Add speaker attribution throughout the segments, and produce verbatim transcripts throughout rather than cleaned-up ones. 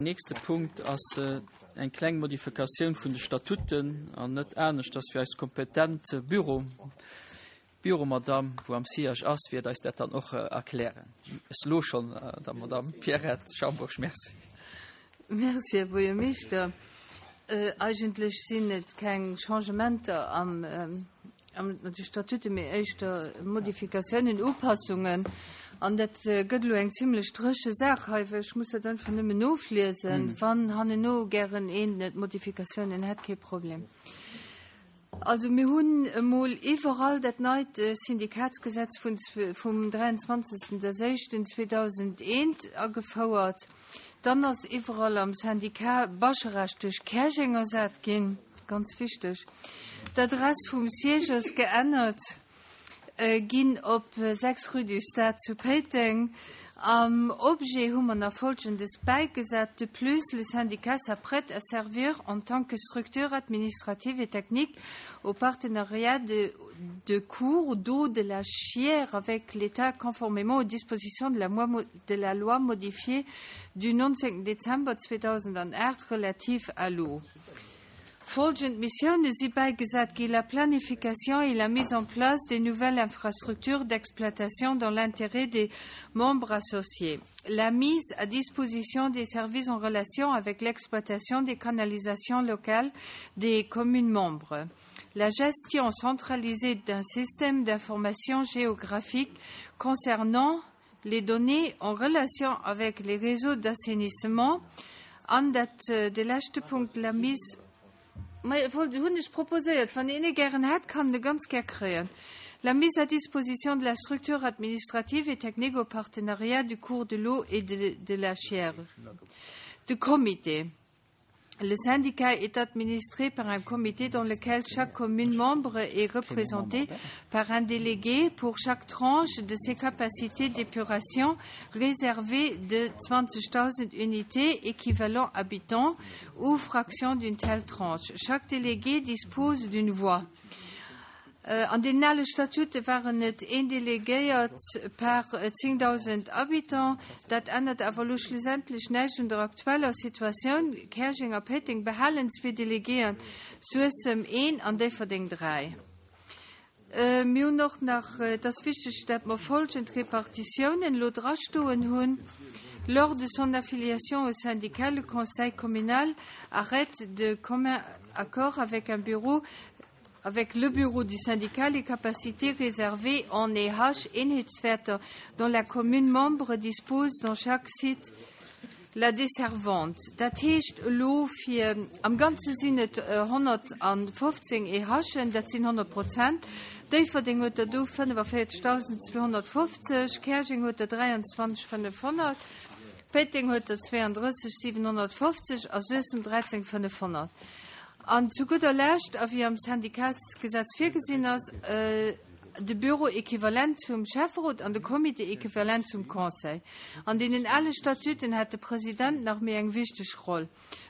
Speaker 1: Nächste Punkt ass eng kleng Modifikatioun vun de Statuten an net anescht, dass fir eis kompetent Büro Büromadame, wou am Siège ass, wäert eis dat dann och erklären. Ech elo schonn der Madame Pierrette Schambourg Merci.
Speaker 2: Merci, Här Buergermeeschter. Eigentlech sinn et keng Changementer am an de Statute, mee éischter Modifikatiounen, Upassungen. An dat gëtt elo eng zimlech dréche Saach hei, well ech muss dat einfach nëmmen nofliesen. Wann hanneno gären een Modifikatiounen hätt, kee Problem. Also mir hunn emol iwwerall dat neit Syndikatsgesetz vun vum dräianzwanzegsten zweedausendeent agefouert. Dann ass iwwerall am Syndicat Bascharage duerch Käerjeng ersat ginn, ganz wichteg. D'Adress vum Siège ass geännert ginn op sechs rue du Stade zu Péiteng. Am Objet hu mer nach Folgendes bäigesat: De plus, le syndicat s'apprête à servir en tant que structure administrative et technique au partenariat de, de cours d'eau de la Chière avec l'État conformément aux dispositions de la, de la loi modifiée du neunzehnten décembre zweedausendacht relative à l'eau. Folgend Missioune si bäigesat gi: la planification et la mise en place des nouvelles infrastructures d'exploitation dans l'intérêt des membres associés, la mise à disposition des services en relation avec l'exploitation des canalisations locales des communes membres, la gestion centralisée d'un système d'information géographique concernant les données en relation avec les réseaux d'assainissement an dat de leschte Punkt, la mise hunn ech proposéiert, wann een e gären hätt, kann e ganz gär kréien. La mise à disposition de la structure administrative et technique au partenariat du cours de l'eau et de, de la Chière. Du comité. Le syndicat est administré par un comité dans lequel chaque commune membre est représentée par un délégué pour chaque tranche de ses capacités d'épuration réservées de zwanzigtausend unités équivalent habitants ou fraction d'une telle tranche. Chaque délégué dispose d'une voix. An den ale Statute waren et een Delegéiert per zéngdausend Habitants. Dat ännert awer elo schlussendlech näischt un der aktueller Situatioun, Käerjeng a Péiteng behalen zwee Delegéeën, Suessem een an Déifferdeng dräi. Mir hunn och nach, et ass wichteg, dat mer folgend Repartitiounen elo drastoen hunn: Lors de son affiliation au syndicat, le conseil communal arrête de commun accord avec un bureau avec le bureau du syndicat les capacités réservées en E H, Eenheetswäerter, dont la commune membre dispose dans chaque site la desservante. Dat heescht elo fir am Ganze sinn et honnertfofzéng E H'en, dat sinn honnert Prozent. Déifferdeng huet der do fënnefavéierzegdausend zweehonnertfofzeg, Käerjeng huet der dräianzwanzegdausendfënnefhonnert, Péiteng huet der zwéiandrëssegdausendsiwenhonnertfofzeg a Suessem dräizéngdausendfënnefhonnert. An zu gudder Lescht, a wéi am Syndikatsgesetz virgesinn ass, de Bureau équivalent zum Schäfferot an de Comité équivalent zum Conseil. An deenen ale Statuten hat de President nach méi eng wichteg Roll.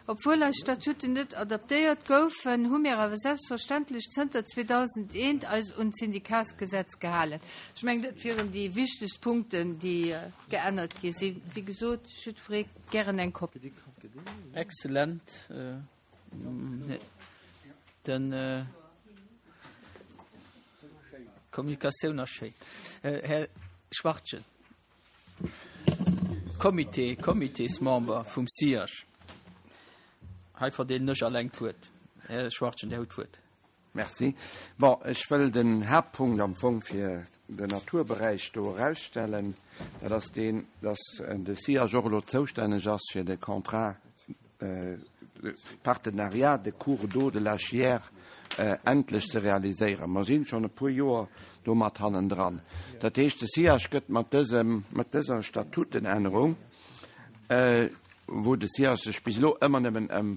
Speaker 2: Obwuel eis Statuten net adaptéiert goufen, hu mir awer selbstverständlech zënter zweedausendeent eis un d'Syndikatsgesetz gehalen. Ech mengen, dat wieren déi wichtegst Punkten, déi geännert gi sinn. Wéi gesot, jiddweree gären eng Kopie.
Speaker 1: Excellent. Den Kommunikatioun ass schéin. Här Schwartgen, Comité, Comitésmember vum SIAG. Hei verdeelen ech alleng d'Wuert. Här Schwartgen, Dir hutt d'Wuert.
Speaker 3: Merci. Bon, ech wëll den Haaptpunkt am Fong fir den Naturberäich do erausstellen. Dat ass deen, dass de SIAG och elo zoustänneg ass fir de Contrat de partenariat de cours d'eau de la Chiers endlech ze realiséieren. Mer sinn schonn e puer Joer domat hannendran. Dat heescht, de SIAG gëtt mat dësem, mat dëser Statutenännerung, wou de SIAG sech bis elo ëmmer nëmmen ëm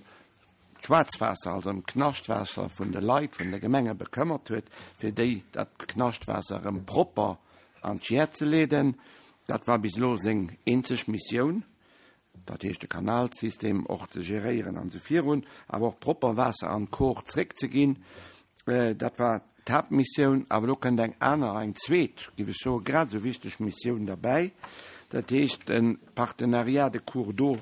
Speaker 3: d'Schwaarzwaasser, also ëm d'Knaschtwaasser vun de Leit, vun de Gemenge bekëmmert huet, fir déi dat Knaschtwaasser erëm propper an d'Chiers ze leeden, dat war bis elo seng eenzeg Missioun, dat heescht de Kanalsystem och ze geréieren an esou virun, awer och propper Waasser an d'Kor zréckzeginn, dat war d'Haaptmissioun. Awer elo kënnt eng aner, eng zweet, géif ech soen, grad esou wichteg Missioun derbäi, dat heescht de Partenariat de cours d'eau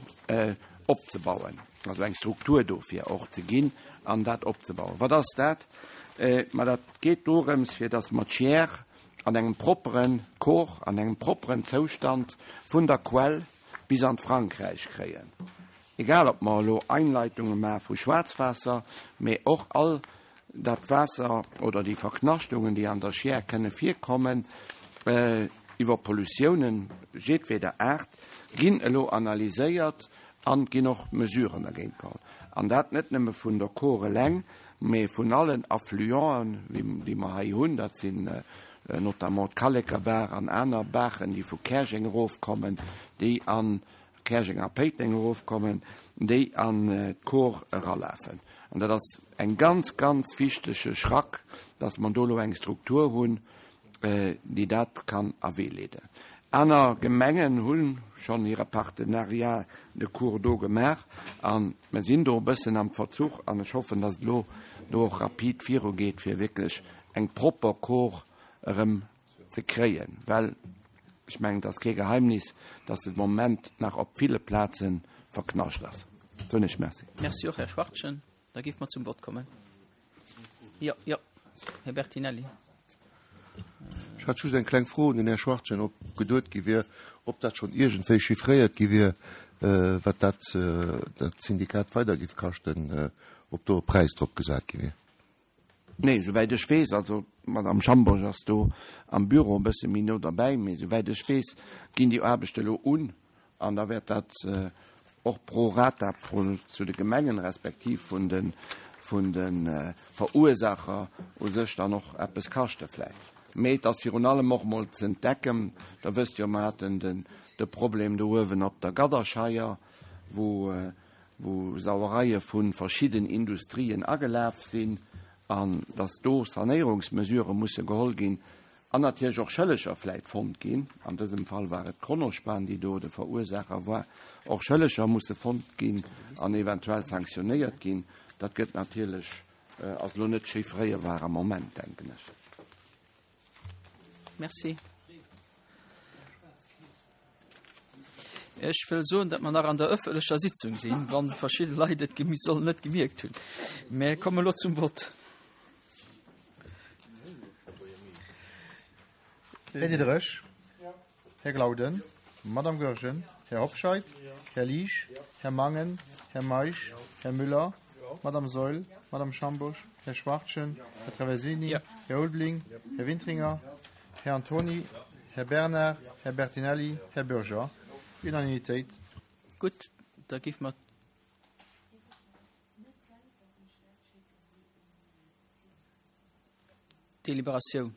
Speaker 3: opzebauen, also eng Struktur dofir och ze ginn an dat opzebauen. Wat ass dat? Ma dat geet dorëms, fir dass mer d'Chiers an engem propperen Cours, an engem propperen Zoustand vun der Quell bis an d'Frankräich kréien. Egal, ob mer elo Einleitunge maache vu Schwaarzwaasser, mee och all dat Waasser oder déi Verknaschtungen, déi an der Chiers kënne virkommen, iwwer Pollutiounen jedweder Aart, ginn elo analyséiert an ginn och Mesuren dergéint geholl. An dat net nëmme vun der Kor eleng, mee vun allen Affluenten, déi mer hei hunn, dat sinn notamment d'Kallekerbaach an aner Baachen, déi vu Käerjeng erofkommen, déi an Käerjeng a Péiteng erofkommen, déi an d'Kor eralafen. An dat ass eng ganz, ganz wichtege Schrack, dass mer do elo eng Struktur hunn, déi dat kann a Wee leeden. Aner Gemengen hu schonn hire Partenariat de cours d'eau gemaach a mer sinn do e bëssen am Verzuch an ech hoffen, dass et elo do och rapid virugeet, fir wierklech eng propper Kor erëm ze kréien, well ech mengen, et ass kee Geheimnis, dass se de Moment nach op ville Plaze verknascht ass. Soen ech Merci.
Speaker 1: Merci och, Här Schwachtgen. Da géife mer zum Vott kommen. Jo, jo, Här Bertinelli.
Speaker 4: Ech hat just eng kleng Fro un den Här Schwachtgen, ob geduet gi wier, ob dat schonn iergendwéi chiffréiert gi wier, wat dat dat Syndikat weider giff kaschten, ob do e Präis drop gesat gi wier.
Speaker 3: Nee, esouwäit ech weess, also d'Madame Schambourg ass do am Büro e bësse méi no derbäi, mee esouwäit ech weess, ginn déi Aarbechte elo un an da wäert dat och pro rata pro zu de Gemengen respektiv vun de vun de Verursaacher u sech dann och eppes kaschte vläicht. Mee et ass virun allem och emol ze entdecken, Der wësst jo, mer haten den de Problem do uewen op der Gadderscheier, wou wou Sauereie vu verschidden Industrien agelaf sinn an dass do Sanéierungsmesurë musse geholl ginn an natierlech och Schëlleger vläicht fonnt ginn, an dësem Fall war et d'Kronospan, déi do de Verursaacher war, och Schëlleger musse fonnt ginn an eventuell sanktionéiert ginn. Dat gëtt natierlech, ass elo net chiffréierbar am Moment, denken ech.
Speaker 1: Merci. Ech wëll soen, datt mer nach an der ëffentlecher Sitzung sinn, wa verschidde Leit et sollen net gemierkt hunn. Mä komme elo zum Vott.
Speaker 5: Här Diderich, Här Glauden, Madame Goergen, Här Hobscheit, Här Liesch, Här Mangen, Här Meisch, Här Müller, Madame Saeul, Madame Schambourg, Här Schwachtgen, Här Traversini, Här Ulveling, Här Wintringer, Här Antoni, Här Bernard, Här Bertinelli, Här Bürger. Unanimitéit.
Speaker 1: Gutt, da géife mer d'Deliberatioun.